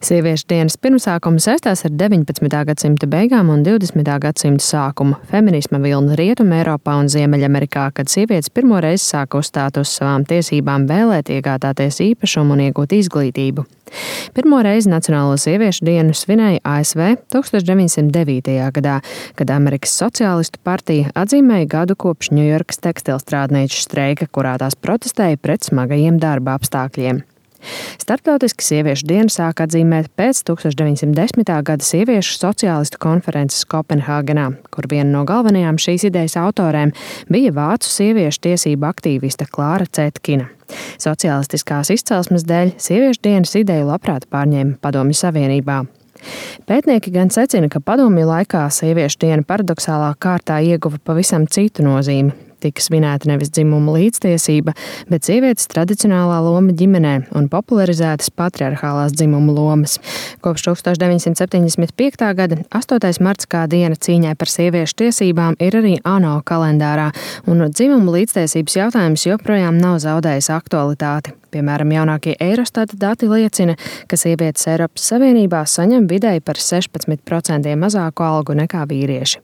Sieviešu dienas pirmsākums saistās ar 19. gadsimta beigām un 20. gadsimta sākumu. Feminisma vilni Rietumē Eiropā un Ziemeļamerikā, kad sievietes pirmo reizi sāka uzstāt uz savām tiesībām vēlēt, iegādāties īpašumu un iegūt izglītību. Pirmo reizi Nacionālo sieviešu dienu svinēja ASV 1909. gadā, kad Amerikas Sociālistu partija atzīmēja gadu kopš Ņujorkas tekstilstrādnieču streika, kurā tās protestēja pret smagajiem darba apstākļiem. Starptautiski sieviešu dienu sāk atzīmēt pēc 1910. gada sieviešu sociālistu konferences Kopenhāgenā, kur viena no galvenajām šīs idejas autorēm bija vācu sieviešu tiesību aktīviste Klāra Cetkina. Sociālistiskās izcelsmes dēļ sieviešu dienas ideju labprāt pārņēma Padomju Savienībā. Pētnieki gan secina, ka padomju laikā sieviešu diena paradoxālā kārtā ieguva pavisam citu nozīmi. Tika svinēta nevis dzimuma līdztiesība, bet sievietes tradicionālā loma ģimenē un popularizētas patriarchālās dzimuma lomas. Kopš 1975. gada 8. marts kā diena cīņai par sieviešu tiesībām ir arī ANO kalendārā, un dzimuma līdztiesības jautājums joprojām nav zaudējis aktualitāti. Piemēram, jaunākie Eirostata dati liecina, ka sievietes Eiropas Savienībā saņem vidēji par 16% mazāku algu nekā vīrieši.